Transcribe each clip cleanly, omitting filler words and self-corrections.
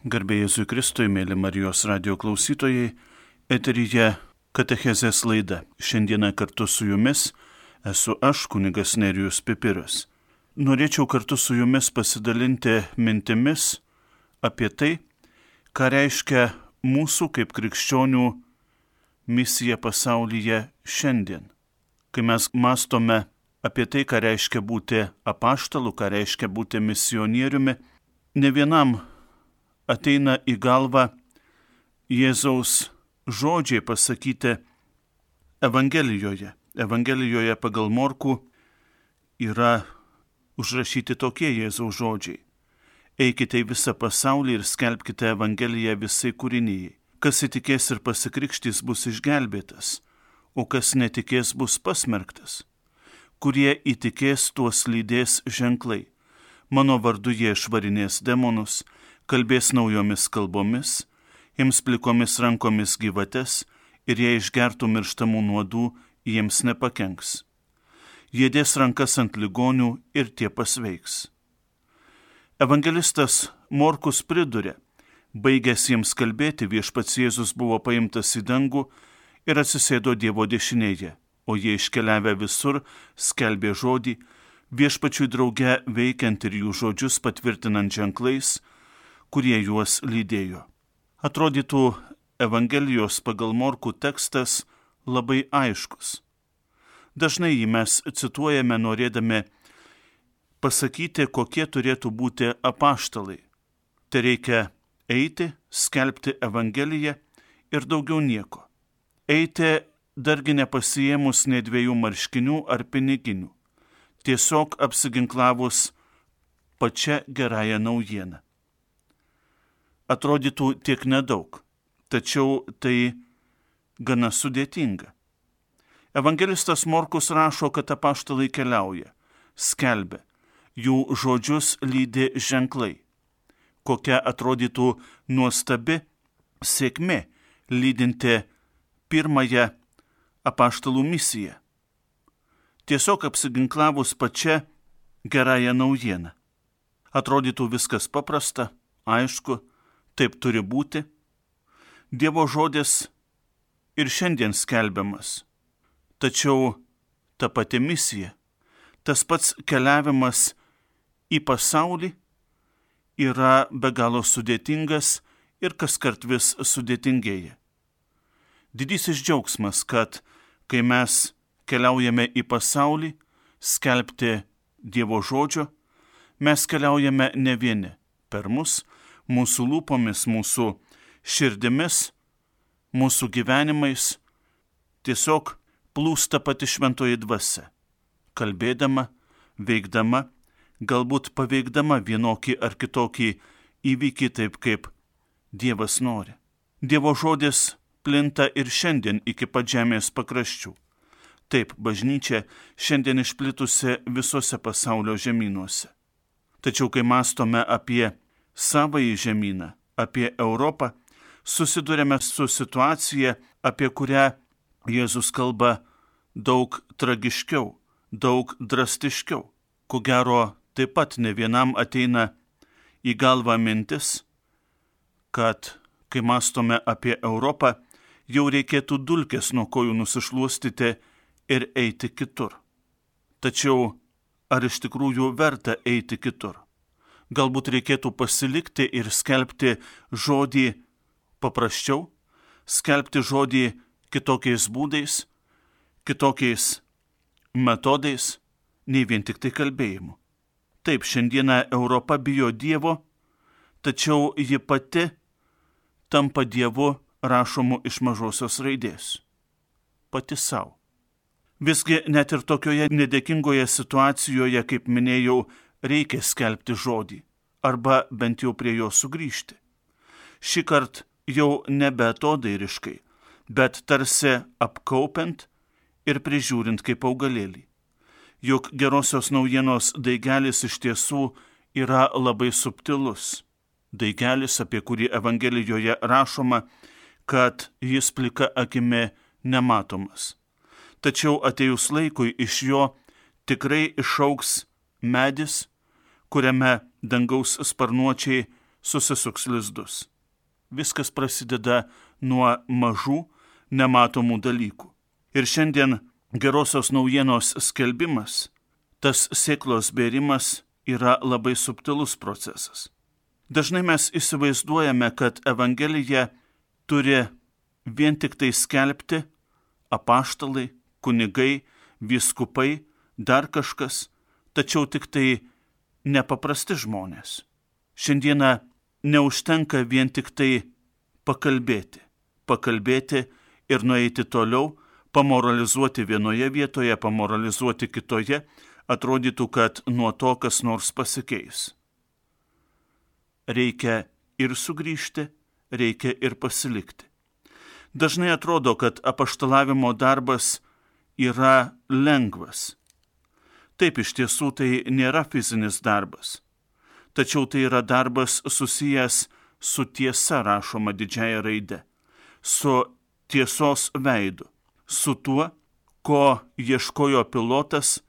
Garbė Jėzui Kristui, mėly Marijos radio klausytojai, eteryje Katechezės laida. Šiandieną kartu su jumis esu aš, kunigas Nerijus Pipiras. Norėčiau kartu su jumis pasidalinti mintimis apie tai, ką reiškia mūsų kaip krikščionių misija pasaulyje šiandien. Kai mes mąstome apie tai, ką reiškia būti apaštalu, ką reiškia būti misionieriumi, ne vienam ateina į galvą Jėzaus žodžiai pasakyti Evangelijoje. Evangelijoje pagal Morkų yra užrašyti tokie Jėzaus žodžiai. Eikite į visą pasaulį ir skelbkite Evangeliją visai kūrinijai. Kas įtikės ir pasikrikštys bus išgelbėtas, o kas netikės bus pasmerktas. Kurie įtikės, tuos lydės ženklai. Mano vardu jie išvarinės demonus, kalbės naujomis kalbomis, jiems plikomis rankomis gyvates ir jei išgertų mirštamų nuodų, jiems nepakenks. Jie dės rankas ant ligonių ir tie pasveiks. Evangelistas Morkus priduria, baigęs jiems kalbėti, viešpats Jėzus buvo paimtas į dangų ir atsisėdo Dievo dešinėje, o jie iškeliavę visur skelbė žodį, viešpačiui drauge veikiant ir jų žodžius patvirtinant ženklais, kurie juos lydėjo. Atrodytų, Evangelijos pagal Morkų tekstas labai aiškus. Dažnai jį mes cituojame norėdami pasakyti, kokie turėtų būti apaštalai. Tai reikia eiti, skelbti Evangeliją ir daugiau nieko. Eiti dargi nepasiėmus nei 2 marškinių ar piniginių, tiesiog apsiginklavus pačia gerąją naujieną. Atrodytų tiek nedaug, tačiau tai gana sudėtinga. Evangelistas Morkus rašo, kad apaštalai keliauja, skelbia, jų žodžius lydi ženklai. Kokia atrodytų nuostabi sėkmė lydinti pirmąją apaštalų misiją. Tiesiog apsiginklavus pačia gerąją naujieną. Atrodytų viskas paprasta, aišku, taip turi būti. Dievo žodis ir šiandien skelbiamas. Tačiau ta pati misija, tas pats keliavimas į pasaulį yra be galo sudėtingas ir kaskart vis sudėtingėja. Didysis džiaugsmas, kad kai mes keliaujame į pasaulį, skelbti Dievo žodžio, mes keliaujame ne vieni. Per mus, mūsų lūpomis, mūsų širdimis, mūsų gyvenimais tiesiog plūsta pati šventoji dvasia, kalbėdama, veikdama, galbūt paveikdama vienokį ar kitokį įvykį taip, kaip Dievas nori. Dievo žodis plinta ir šiandien iki pat žemės pakraščių. Taip, bažnyčia šiandien išplitusi visose pasaulio žemynuose. Tačiau, kai mąstome apie savąjį žemyną, apie Europą, susidurėme su situacija, apie kurią Jėzus kalba daug tragiškiau, daug drastiškiau. Ko gero, taip pat ne vienam ateina į galvą mintis, kad kai mąstome apie Europą, jau reikėtų dulkes nuo kojų nusišluostyti ir eiti kitur. Tačiau ar iš tikrųjų verta eiti kitur? Galbūt reikėtų pasilikti ir skelbti žodį paprasčiau, skelbti žodį kitokiais būdais, kitokiais metodais, nei vien tik tai kalbėjimu. Taip, šiandieną Europa bijo Dievo, tačiau ji pati tampa Dievu rašomu iš mažosios raidės. Pati savo. Visgi net ir tokioje nedėkingoje situacijoje, kaip minėjau, reikia skelbti žodį, arba bent jau prie jo sugrįžti. Šį kartą jau nebe atodairiškai, bet tarsi apkaupiant ir prižiūrint kaip augalėlį. Juk gerosios naujienos daigelis iš tiesų yra labai subtilus. Daigelis, apie kurį Evangelijoje rašoma, kad jis plika akimi nematomas. Tačiau atėjus laikui iš jo tikrai išaugs medis, kuriame dangaus sparnuočiai susisuks lizdus. Viskas prasideda nuo mažų, nematomų dalykų. Ir šiandien gerosios naujienos skelbimas, tas sėklos bėrimas yra labai subtilus procesas. Dažnai mes įsivaizduojame, kad Evangelija turi vien tik tai skelbti apaštalai, kunigai, vyskupai, dar kažkas, tačiau tik tai nepaprasti žmonės. Šiandieną neužtenka vien tik tai pakalbėti ir nueiti toliau, pamoralizuoti vienoje vietoje, pamoralizuoti kitoje, atrodytų, kad nuo to kas nors pasikeis. Reikia ir sugrįžti, reikia ir pasilikti. Dažnai atrodo, kad apaštalavimo darbas yra lengvas. Taip, iš tiesų tai nėra fizinis darbas. Tačiau tai yra darbas susijęs su tiesa, rašoma didžiąja raide, su tiesos veidu, su tuo, ko ieškojo pilotas,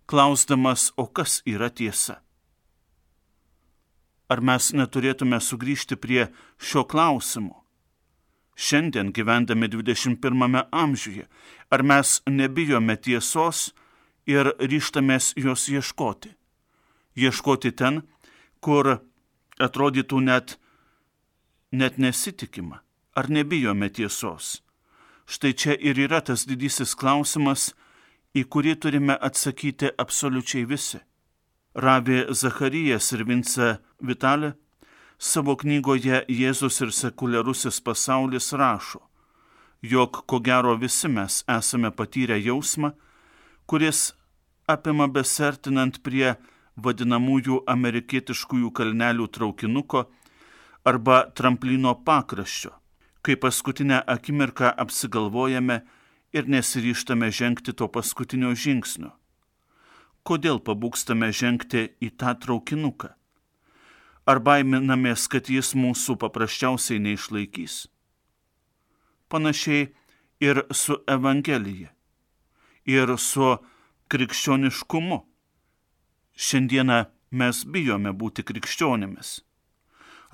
klausdamas, o kas yra tiesa. Ar mes neturėtume sugrįžti prie šio klausimo? Šiandien gyvendami 21 amžiuje, ar mes nebijome tiesos ir ryžtamės jos ieškoti? Ieškoti ten, kur atrodytų net nesitikima. Ar nebijome tiesos? Štai čia ir yra tas didysis klausimas, į kurį turime atsakyti absoliučiai visi. Rabbi Zacharijas ir Vince Vitale savo knygoje Jėzus ir sekuliarusis pasaulis rašo, jog ko gero visi mes esame patyrę jausmą, kuris apima besertinant prie vadinamųjų amerikietiškųjų kalnelių traukinuko arba tramplino pakraščio, kai paskutinę akimirką apsigalvojame ir nesiryžtame žengti to paskutinio žingsnio. Kodėl pabūgstame žengti į tą traukinuką? Ar baiminamės, kad jis mūsų paprasčiausiai neišlaikys? Panašiai ir su Evangelija, ir su krikščioniškumu. Šiandieną mes bijome būti krikščionimis.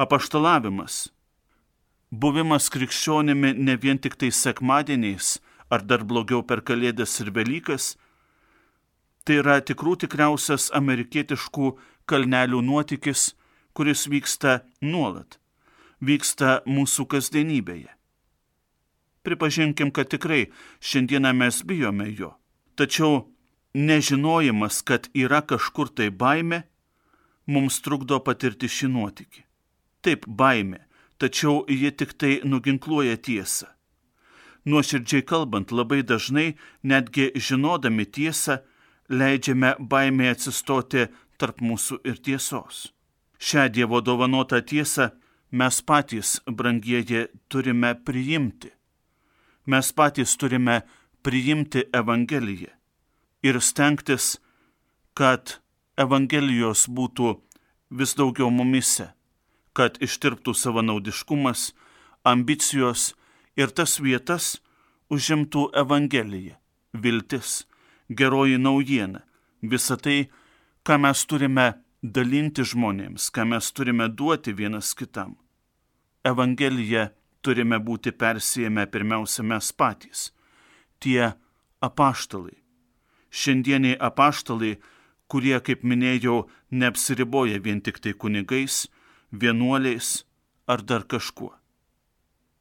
Apaštalavimas, buvimas krikščionimi ne vien tik tai sekmadieniais, ar dar blogiau per Kalėdas ir Velykas, tai yra tikriausias amerikietiškų kalnelių nuotykis, kuris vyksta nuolat, vyksta mūsų kasdienybėje. Pripažinkim, kad tikrai šiandieną mes bijome jo, tačiau nežinojimas, kad yra kažkur tai baimė, mums trukdo patirti šį nuotykį. Taip, baimė, tačiau ji tik tai nuginkluoja tiesą. Nuoširdžiai kalbant, labai dažnai, netgi žinodami tiesą, leidžiame baimė atsistoti tarp mūsų ir tiesos. Šią Dievo dovanotą tiesą mes patys, brangieji, turime priimti. Mes patys turime priimti Evangeliją ir stengtis, kad Evangelijos būtų vis daugiau mumise, kad ištirptų savanaudiškumas, ambicijos ir tas vietas užimtų Evangelija, viltis, geroji naujiena, visa tai, ką mes turime dalinti žmonėms, ką mes turime duoti vienas kitam. Evangeliją turime būti persijėmę pirmiausia mes patys, tie apaštalai. Šiandieniai apaštalai, kurie, kaip minėjau, neapsiriboja vien tik tai kunigais, vienuoliais ar dar kažkuo.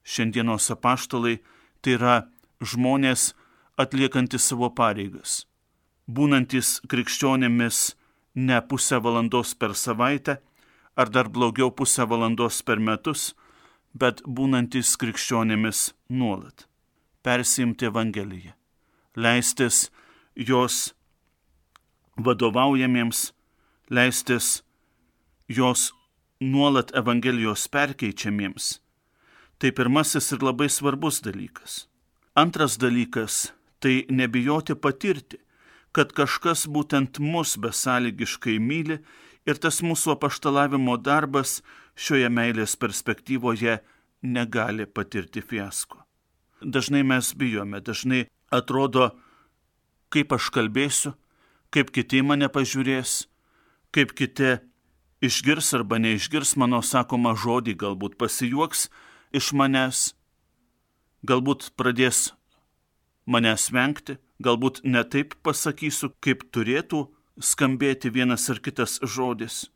Šiandienos apaštalai tai yra žmonės atliekantis savo pareigas, būnantis krikščionėmis ne pusę valandos per savaitę, ar dar blogiau pusę valandos per metus, bet būnantis krikščionėmis nuolat. Persiimti Evangeliją, leistis jos vadovaujamiems, leistis jos nuolat Evangelijos perkeičiamiems. Tai pirmasis ir labai svarbus dalykas. Antras dalykas – tai nebijoti patirti, kad kažkas būtent mus besąlygiškai myli ir tas mūsų apaštalavimo darbas šioje meilės perspektyvoje negali patirti fiasko. Dažnai mes bijome, dažnai atrodo, kaip aš kalbėsiu, kaip kiti mane pažiūrės, kaip kiti išgirs arba neišgirs mano sakomą žodį, galbūt pasijuoks iš manęs, galbūt pradės manęs vengti, galbūt ne taip pasakysiu, kaip turėtų skambėti vienas ar kitas žodis.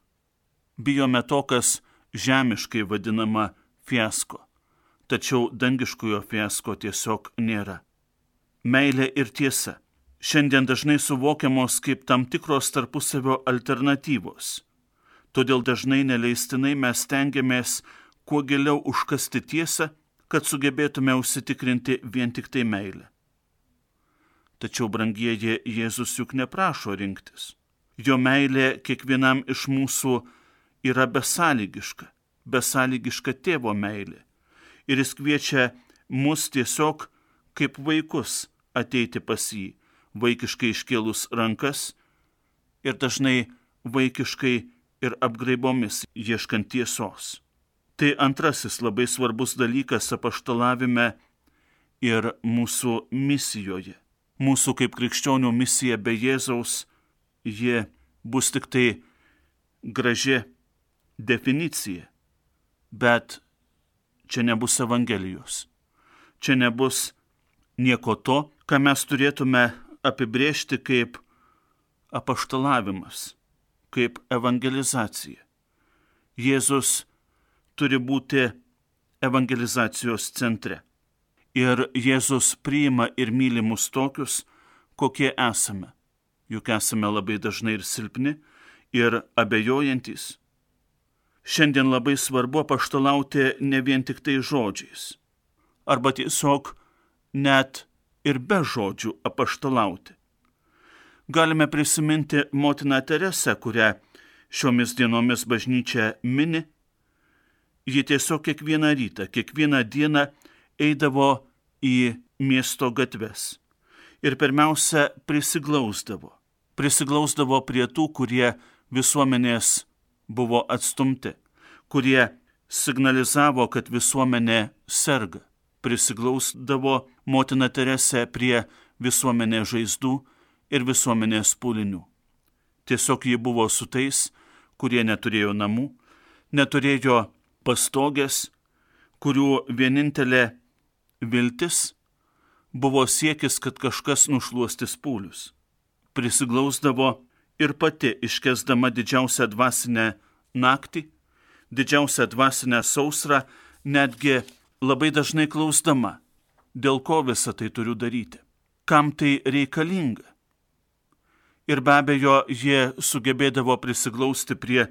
Bijome to, kas žemiškai vadinama fiasko, tačiau dangiškojo fiasko tiesiog nėra. Meilė ir tiesa šiandien dažnai suvokiamos kaip tam tikros tarpusavio alternatyvos. Todėl dažnai neleistinai mes stengiamės kuo giliau užkasti tiesą, kad sugebėtume užsitikrinti vien tik tai meilę. Tačiau, brangieji, Jėzus juk neprašo rinktis. Jo meilė kiekvienam iš mūsų yra besąlygiška tėvo meilė. Ir jis kviečia mus tiesiog kaip vaikus ateiti pas jį, vaikiškai iškėlus rankas ir dažnai vaikiškai ir apgraibomis ieškant tiesos. Tai antrasis labai svarbus dalykas apaštalavime ir mūsų misijoje. Mūsų kaip krikščionių misija be Jėzaus, ji bus tik tai graži definicija, bet čia nebus Evangelijos. Čia nebus nieko to, ką mes turėtume apibrėžti kaip apaštalavimas, kaip evangelizacija. Jėzus turi būti evangelizacijos centre. Ir Jėzus priima ir myli mus tokius, kokie esame. Juk esame labai dažnai ir silpni, ir abejojantys. Šiandien labai svarbu apaštalauti ne vien tik tai žodžiais. Arba tiesiog net ir be žodžių apaštalauti. Galime prisiminti motiną Teresę, kurią šiomis dienomis bažnyčia mini. Ji tiesiog kiekvieną rytą, kiekvieną dieną eidavo į miesto gatves ir pirmiausia prisiglausdavo prie tų, kurie visuomenės buvo atstumti, kurie signalizavo, kad visuomenė serga. Prisiglausdavo motina Teresė prie visuomenės žaizdų ir visuomenės pūlinių. Tiesiog ji buvo su tais, kurie neturėjo namų, neturėjo pastogės, kurių vienintelė viltis buvo siekis, kad kažkas nušluostys pūlius. Prisiglausdavo ir pati iškęsdama didžiausią dvasinę naktį, didžiausią dvasinę sausrą, netgi labai dažnai klausdama, dėl ko visą tai turiu daryti, kam tai reikalinga. Ir be abejo, jie sugebėdavo prisiglausti prie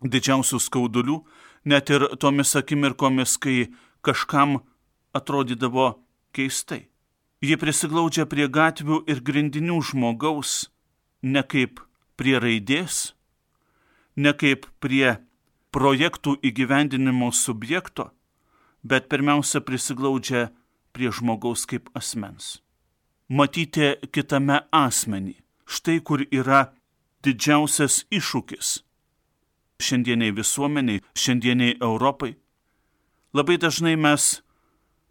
didžiausių skaudulių, net ir tomis akimirkomis, kai kažkam atrodydavo keistai. Jie prisiglaudžia prie gatvių ir grindinių žmogaus, ne kaip prie raidės, ne kaip prie projektų įgyvendinimo subjekto, bet pirmiausia prisiglaudžia prie žmogaus kaip asmens. Matyti kitame asmenį. Štai kur yra didžiausias iššūkis šiandieniai visuomeniai, šiandieniai Europai. Labai dažnai mes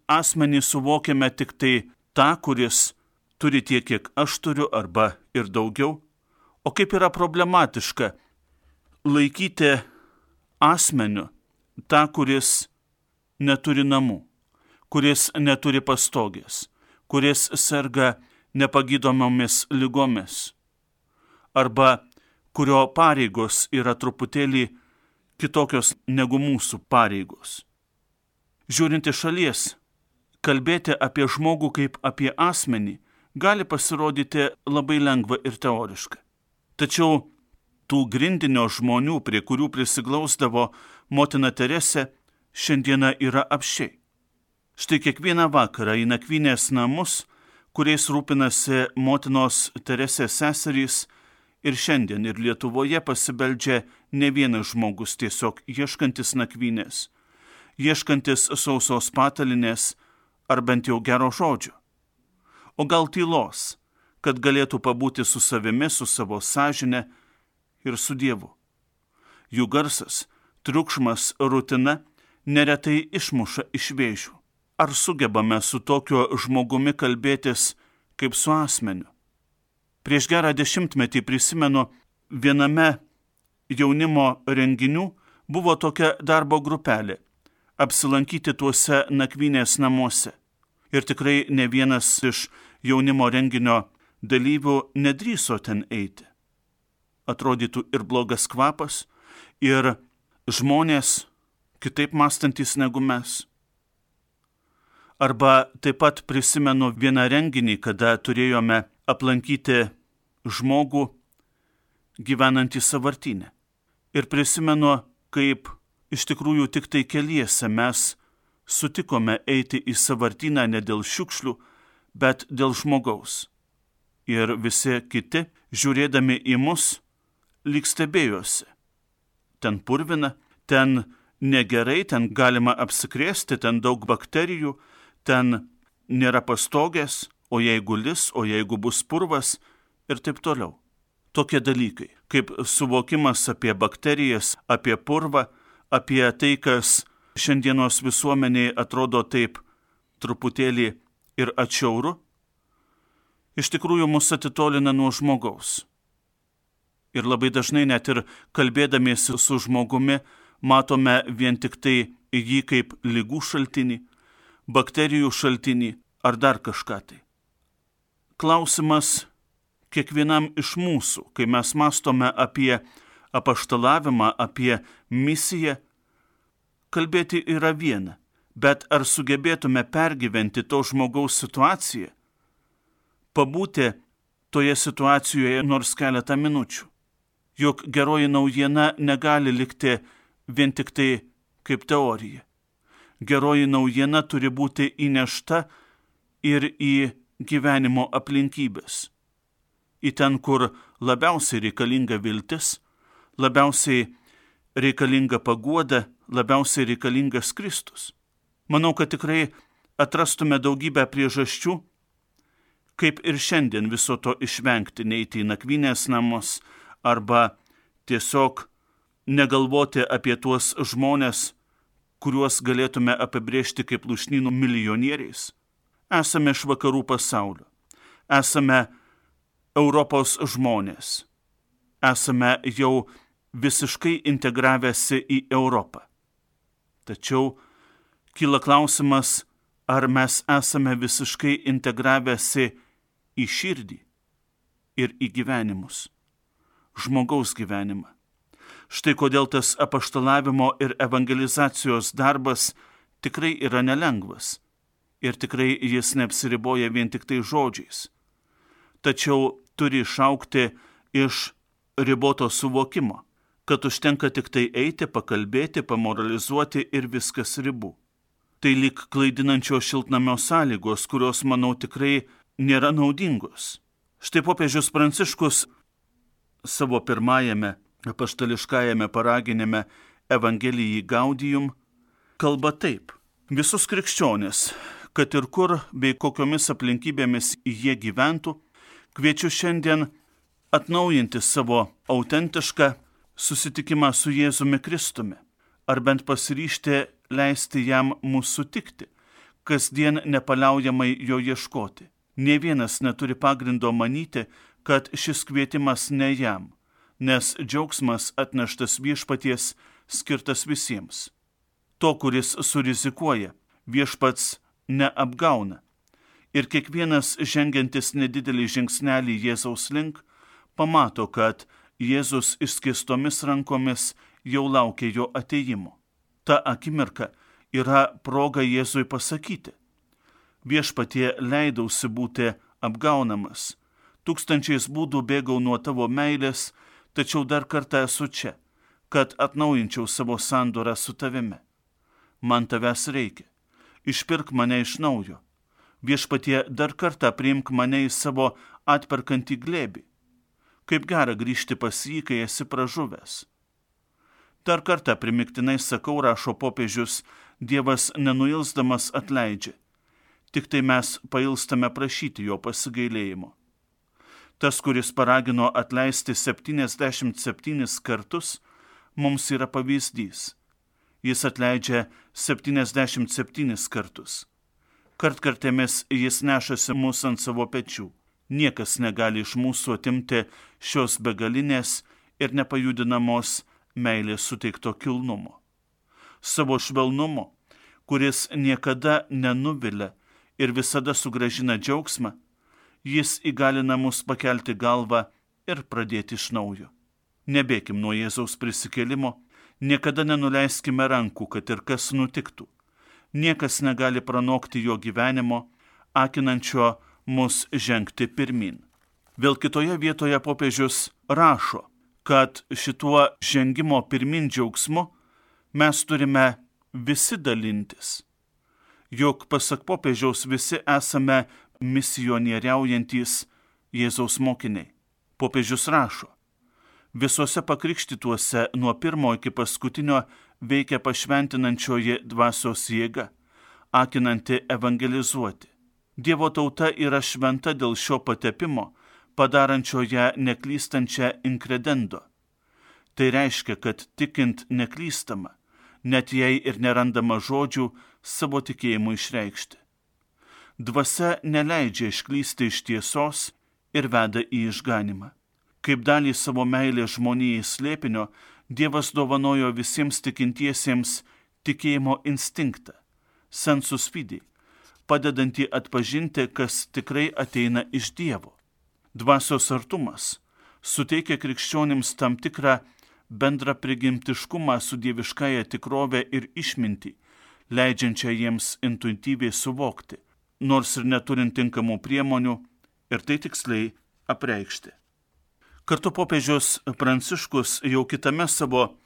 asmenį suvokiame tik tai tą, kuris turi tiek, kiek aš turiu, arba ir daugiau. O kaip yra problematiška laikyti asmeniu tą, kuris neturi namų, kuris neturi pastogės, kuris serga nepagydomomis ligomis, arba kurio pareigos yra truputėlį kitokios negu mūsų pareigos. Žiūrint iš šalies, kalbėti apie žmogų kaip apie asmenį gali pasirodyti labai lengva ir teoriška. Tačiau tų grindinio žmonių, prie kurių prisiglausdavo motina Teresė, šiandieną yra apsčiai. Štai kiekvieną vakarą į nakvynės namus, kuriais rūpinasi motinos Teresės seserys, ir šiandien ir Lietuvoje pasibeldžia ne vienas žmogus tiesiog ieškantis nakvynės, ieškantis sausos patalinės ar bent jau gero žodžio. O gal tylos, kad galėtų pabūti su savimi, su savo sąžine ir su Dievu. Jų garsas, triukšmas, rutina neretai išmuša iš vėžių. Ar sugebame su tokiu žmogumi kalbėtis kaip su asmeniu? Prieš gerą 10 prisimenu, viename jaunimo renginių buvo tokia darbo grupelė – apsilankyti tuose nakvynės namuose. Ir tikrai ne vienas iš jaunimo renginio dalyvių nedrįso ten eiti. Atrodytų ir blogas kvapas, ir žmonės kitaip mąstantis negu mes. Arba taip pat prisimenu vieną renginį, kada turėjome aplankyti žmogų gyvenantį sąvartyne. Ir prisimenu, kaip iš tikrųjų tik tai keliese mes sutikome eiti į sąvartyną ne dėl šiukšlių, bet dėl žmogaus. Ir visi kiti, žiūrėdami į mus, lyg stebėjosi. Ten purvina, ten negerai, ten galima apsikrėsti, ten daug bakterijų, ten nėra pastogės, o jeigu lis, o jeigu bus purvas ir taip toliau. Tokie dalykai, kaip suvokimas apie bakterijas, apie purvą, apie tai, kas šiandienos visuomeniai atrodo taip truputėlį ir atšiauru, iš tikrųjų mus atitolina nuo žmogaus. Ir labai dažnai net ir kalbėdamiesi su žmogumi matome vien tik tai jį kaip ligų šaltinį, bakterijų šaltinį ar dar kažką tai. Klausimas kiekvienam iš mūsų, kai mes mąstome apie apaštalavimą, apie misiją, kalbėti yra viena, bet ar sugebėtume pergyventi to žmogaus situaciją, pabūti toje situacijoje nors keletą minučių. Juk geroji naujiena negali likti vien tik tai kaip teorija. Geroji naujiena turi būti įnešta ir į gyvenimo aplinkybės. Į ten, kur labiausiai reikalinga viltis, labiausiai reikalinga paguoda, labiausiai reikalingas Kristus. Manau, kad tikrai atrastume daugybę priežasčių, kaip ir šiandien viso to išvengti, neiti į nakvynės namus arba tiesiog negalvoti apie tuos žmonės, kuriuos galėtume apibrėžti kaip lūšnynų milijonieriais. Esame iš vakarų pasaulio, esame Europos žmonės, esame jau visiškai integravęsi į Europą. Tačiau kyla klausimas, ar mes esame visiškai integravęsi į širdį ir į gyvenimus, žmogaus gyvenimą. Štai kodėl tas apaštalavimo ir evangelizacijos darbas tikrai yra nelengvas ir tikrai jis neapsiriboja vien tik tai žodžiais. Tačiau turi išaugti iš riboto suvokimo, kad užtenka tik tai eiti, pakalbėti, pamoralizuoti ir viskas ribų. Tai lyg klaidinančios šiltnamio sąlygos, kurios, manau, tikrai nėra naudingos. Štai popiežius Pranciškus savo pirmajame apaštališkajame paraginime Evangelijai Gaudium kalba taip. Visus krikščionis, kad ir kur bei kokiomis aplinkybėmis jie gyventų, kviečiu šiandien atnaujinti savo autentišką susitikimą su Jėzumi Kristumi, ar bent pasiryžti leisti jam mūsų sutikti, kasdien nepaliaujamai jo ieškoti. Nė vienas neturi pagrindo manyti, kad šis kvietimas ne jam, nes džiaugsmas atneštas viešpaties skirtas visiems. To, kuris surizikuoja, viešpats neapgauna. Ir kiekvienas žengiantis nedidelį žingsnelį Jėzaus link, pamato, kad Jėzus išskėstomis rankomis jau laukia jo atėjimo. Ta akimirka yra proga Jėzui pasakyti: viešpatie, leidausi būti apgaunamas, tūkstančiais būdų bėgau nuo tavo meilės, tačiau dar kartą esu čia, kad atnaujinčiau savo sandorą su tavimi. Man tavęs reikia, išpirk mane iš naujo. Viešpatie, dar kartą priimk mane į savo atperkantį glėbį. Kaip gera grįžti pas jį, kai esi pražuvęs. Dar kartą primiktinai sakau, rašo popiežius, Dievas nenuilsdamas atleidžia. Tik tai mes pailstame prašyti jo pasigailėjimo. Tas, kuris paragino atleisti 77 kartus, mums yra pavyzdys. Jis atleidžia 77 kartus. Kartkartėmis jis nešasi mus ant savo pečių. Niekas negali iš mūsų atimti šios begalinės ir nepajudinamos meilės suteikto kilnumo. Savo švelnumo, kuris niekada nenuvilia ir visada sugrąžina džiaugsmą, jis įgalina mus pakelti galvą ir pradėti iš naujo. Nebėkim nuo Jėzaus prisikėlimo, niekada nenuleiskime rankų, kad ir kas nutiktų. Niekas negali pranokti jo gyvenimo, akinančio mus žengti pirmin. Vėl kitoje vietoje popiežius rašo, kad šituo žengimo pirmin džiaugsmu mes turime visi dalintis. Juk pasak popiežiaus visi esame misionieriaujantys Jėzaus mokiniai. Popiežius rašo, visuose pakrikštytuose nuo pirmo iki paskutinio veikia pašventinančioji dvasios jėga, akinanti evangelizuoti. Dievo tauta yra šventa dėl šio patepimo, padarančio ją neklystančią inkredendo. Tai reiškia, kad tikint neklystama, net jei ir nerandama žodžių savo tikėjimu išreikšti. Dvasia neleidžia išklysti iš tiesos ir veda į išganimą. Kaip dalį savo meilės žmonijai slėpinio, Dievas dovanojo visiems tikintiesiems tikėjimo instinktą, sensus fidei, padedantį atpažinti, kas tikrai ateina iš Dievo. Dvasios artumas suteikia krikščionims tam tikrą bendrą prigimtiškumą su dieviškąja tikrove ir išmintį, leidžiančią jiems intuityviai suvokti, nors ir neturint tinkamų priemonių, ir tai tiksliai apreikšti. Kartu popiežius Pranciškus jau kitame savo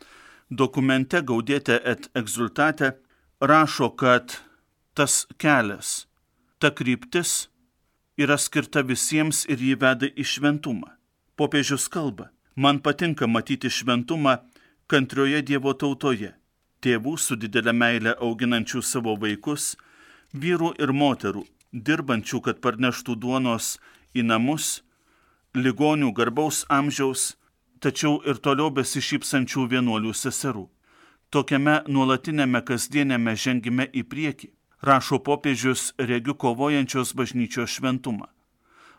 dokumente Gaudete et Exsultate rašo, kad tas kelias, ta kryptis yra skirta visiems ir jį veda į šventumą. Popiežius kalba, man patinka matyti šventumą kantrioje Dievo tautoje, tėvų su didelė meile auginančių savo vaikus, vyrų ir moterų, dirbančių, kad parneštų duonos į namus, ligonių garbaus amžiaus, tačiau ir toliau besišypsančių vienuolių seserų. Tokiame nuolatinėme kasdienėme žengime į priekį, rašo popiežius, regiu kovojančios bažnyčios šventumą.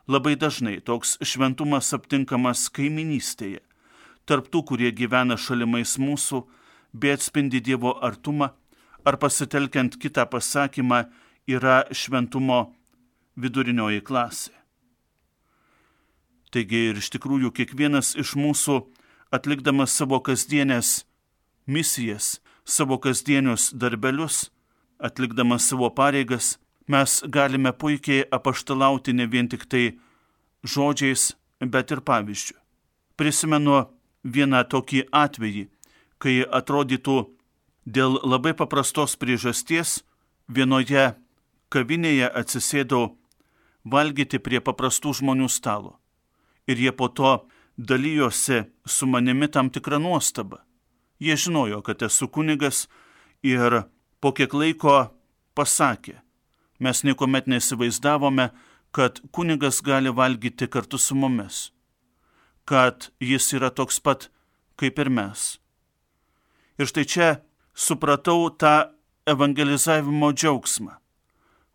Labai dažnai toks šventumas aptinkamas kaiminystėje, tarp tų, kurie gyvena šalimais mūsų, bei atspindi Dievo artumą, ar pasitelkiant kitą pasakymą, yra šventumo vidurinioji klasė. Taigi ir iš tikrųjų kiekvienas iš mūsų, atlikdamas savo kasdienės misijas, savo kasdienius darbelius, atlikdamas savo pareigas, mes galime puikiai apaštalauti ne vien tik tai žodžiais, bet ir pavyzdžiu. Prisimenu vieną tokį atvejį, kai atrodytų dėl labai paprastos priežasties vienoje kavinėje atsisėdau valgyti prie paprastų žmonių stalo. Ir jie po to dalyjosi su manimi tam tikrą nuostabą. Jie žinojo, kad esu kunigas ir po kiek laiko pasakė, mes niekuomet nesivaizdavome, kad kunigas gali valgyti kartu su mumis, kad jis yra toks pat kaip ir mes. Ir štai čia supratau tą evangelizavimo džiaugsmą.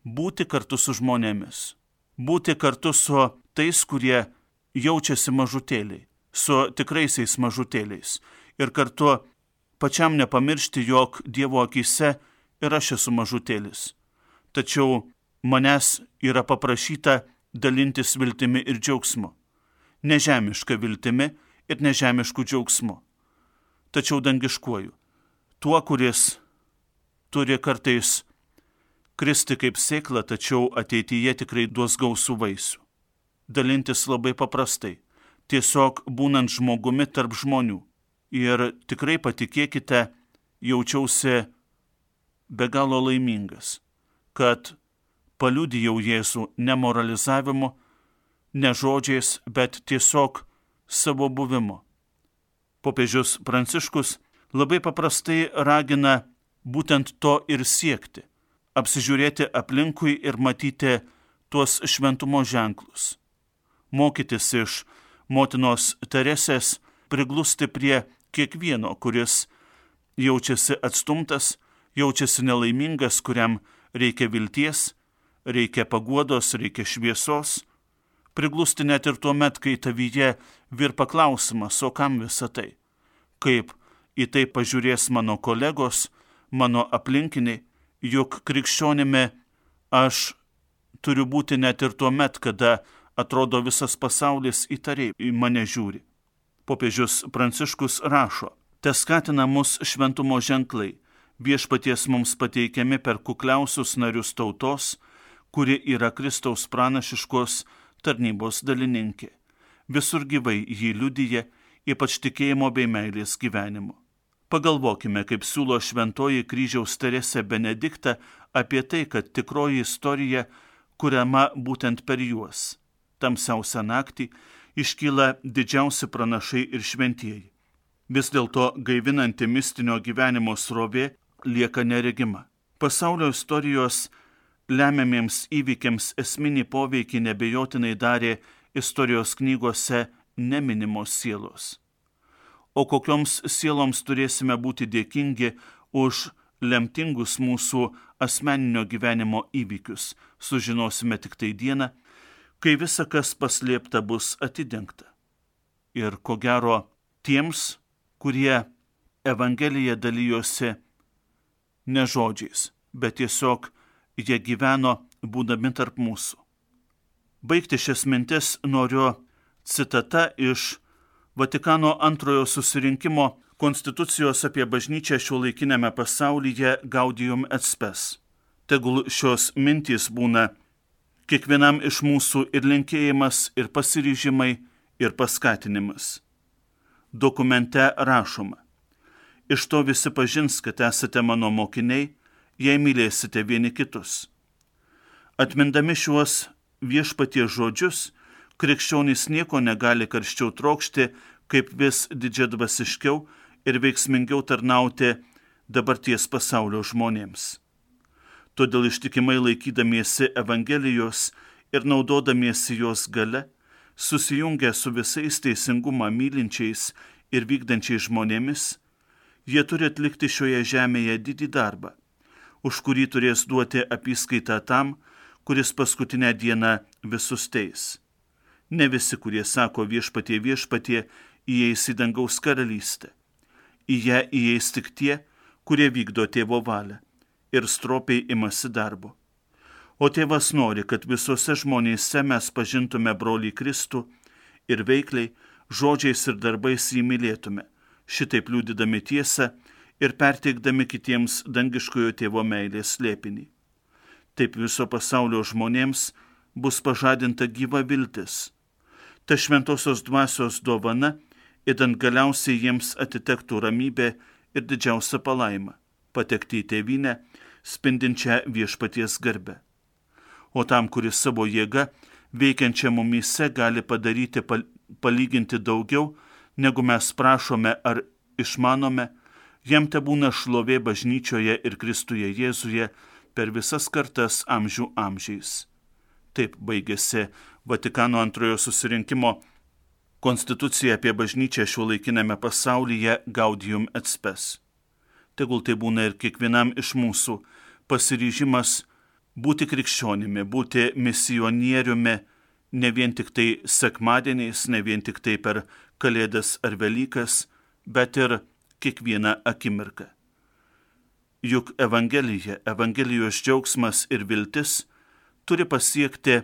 Būti kartu su žmonėmis, būti kartu su tais, kurie jaučiasi mažutėliai, su tikraisiais mažutėliais ir kartu pačiam nepamiršti, jog Dievo akyse ir aš esu mažutėlis. Tačiau manęs yra paprašyta dalintis viltimi ir džiaugsmu. Nežemiška viltimi ir nežemišku džiaugsmu. Tačiau dangiškuoju. Tuo, kuris turi kartais kristi kaip sėkla, tačiau ateityje tikrai duos gausų vaisių. Dalintis labai paprastai, tiesiog būnant žmogumi tarp žmonių. Ir tikrai patikėkite, jaučiausi be galo laimingas, kad paliudijau Jėzų ne moralizavimu, ne žodžiais, bet tiesiog savo buvimu. Popiežius Pranciškus labai paprastai ragina būtent to ir siekti, apsižiūrėti aplinkui ir matyti tuos šventumo ženklus. Mokytis iš motinos Teresės, priglusti prie kiekvieno, kuris jaučiasi atstumtas, jaučiasi nelaimingas, kuriam reikia vilties, reikia paguodos, reikia šviesos, Priglusti net ir tuo met, kai tavyje virpa klausimas, o kam visa tai? Kaip į tai pažiūrės mano kolegos, mano aplinkiniai, juk krikščionimi aš turiu būti net ir tuo met, kada atrodo visas pasaulis įtariai į mane žiūri. Popiežius Pranciškus rašo, te skatina mus šventumo ženklai, viešpaties mums pateikiami per kukliausius narius tautos, kuri yra Kristaus pranašiškos tarnybos dalininkė. Visur gyvai jį liudija, ypač tikėjimo bei meilės gyvenimu. Pagalvokime, kaip siūlo šventoji kryžiaus Teresė Benedikta apie tai, kad tikroji istorija kuriama būtent per juos. Tamsiausią naktį iškyla didžiausi pranašai ir šventieji. Vis dėlto gaivinanti mistinio gyvenimo srovė lieka neregima. Pasaulio istorijos lemiamiems įvykiams esminį poveikį nebejotinai darė istorijos knygose neminimos sielos. O kokioms sieloms turėsime būti dėkingi už lemtingus mūsų asmeninio gyvenimo įvykius, sužinosime tik tai dieną, kai visa kas paslėpta bus atidengta. Ir ko gero tiems, kurie Evangeliją dalyjosi ne žodžiais, bet tiesiog jie gyveno būdami tarp mūsų. Baigti šias mintis noriu citata iš Vatikano antrojo susirinkimo konstitucijos apie bažnyčią šiuolaikinėme pasaulyje Gaudium et Spes. Tegul šios mintys būna kiekvienam iš mūsų ir linkėjimas, ir pasiryžimai, ir paskatinimas. Dokumente rašoma, iš to visi pažins, kad esate mano mokiniai, jei mylėsite vieni kitus. Atmindami šiuos viešpaties žodžius, krikščionys nieko negali karščiau trokšti, kaip vis didžiadvasiškiau ir veiksmingiau tarnauti dabarties pasaulio žmonėms. Todėl ištikimai laikydamiesi Evangelijos ir naudodamiesi jos gale, susijungę su visais teisingumą mylinčiais ir vykdančiais žmonėmis, jie turi atlikti šioje žemėje didį darbą, už kurį turės duoti apyskaitą tam, kuris paskutinę dieną visus teis. Ne visi, kurie sako viešpatie, viešpatie, įeis į dangaus karalystę. Į ją įeis tik tie, kurie vykdo tėvo valią ir stropiai imasi darbo. O tėvas nori, kad visose žmonėse mes pažintume brolį Kristų ir veikliai, žodžiais ir darbais jį mylėtume, šitaip liudydami tiesą ir perteikdami kitiems dangiškojo tėvo meilės slėpinį. Taip viso pasaulio žmonėms bus pažadinta gyva viltis. Ta šventosios dvasios dovana, idant galiausiai jiems atitektų ramybė ir didžiausia palaima, patekti į tėvynę, spindinčią viešpaties garbę. O tam, kuris savo jėga, veikiančią mumyse, gali padaryti palyginti daugiau, negu mes prašome ar išmanome, jam tebūna šlovė bažnyčioje ir Kristuje Jėzuje per visas kartas amžių amžiais. Taip baigėsi Vatikano antrojo susirinkimo konstitucija apie bažnyčią šiuolaikinėme pasaulyje Gaudium et Spes. Tegul tai būna ir kiekvienam iš mūsų pasiryžimas būti krikščionimi, būti misionieriumi, ne vien tik tai sekmadieniais, ne vien tik tai per Kalėdas ar Velykas, bet ir kiekvieną akimirką. Juk Evangelija, Evangelijos džiaugsmas ir viltis turi pasiekti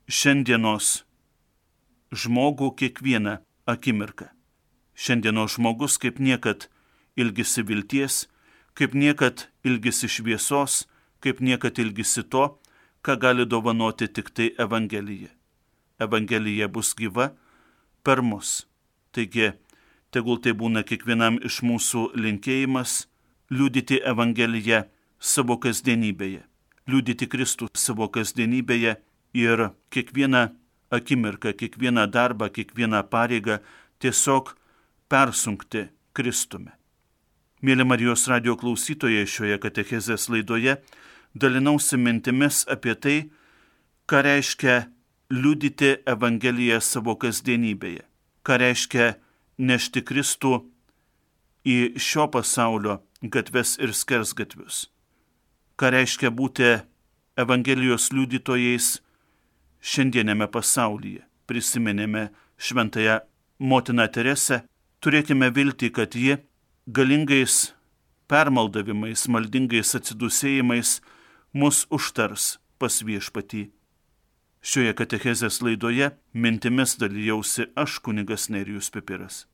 šiandienos žmogų kiekvieną akimirką. Šiandienos žmogus kaip niekad ilgisi vilties, kaip niekad ilgisi šviesos, kaip niekad ilgisi to, ką gali dovanoti tik tai Evangelija. Evangelija bus gyva per mus. Taigi, tegul tai būna kiekvienam iš mūsų linkėjimas liudyti Evangeliją savo kasdienybėje, liudyti Kristų savo kasdienybėje ir kiekvieną akimirką, kiekvieną darbą, kiekvieną pareigą tiesiog persunkti Kristumi. Mėly Marijos radijo klausytojai, šioje katechezės laidoje dalinausi mintimis apie tai, ką reiškia liudyti Evangeliją savo kasdienybėje, ką reiškia nešti Kristų į šio pasaulio gatves ir skersgatvius, ką reiškia būti Evangelijos liudytojais šiandienėme pasaulyje. Prisiminėme šventąją motiną Teresę, turėkime viltį, kad ji galingais permaldavimais, maldingais atsidūsėjimais mus užtars pas Viešpatį. Šioje katechezės laidoje mintimis dalijausi aš, kunigas Nerijus Pipiras.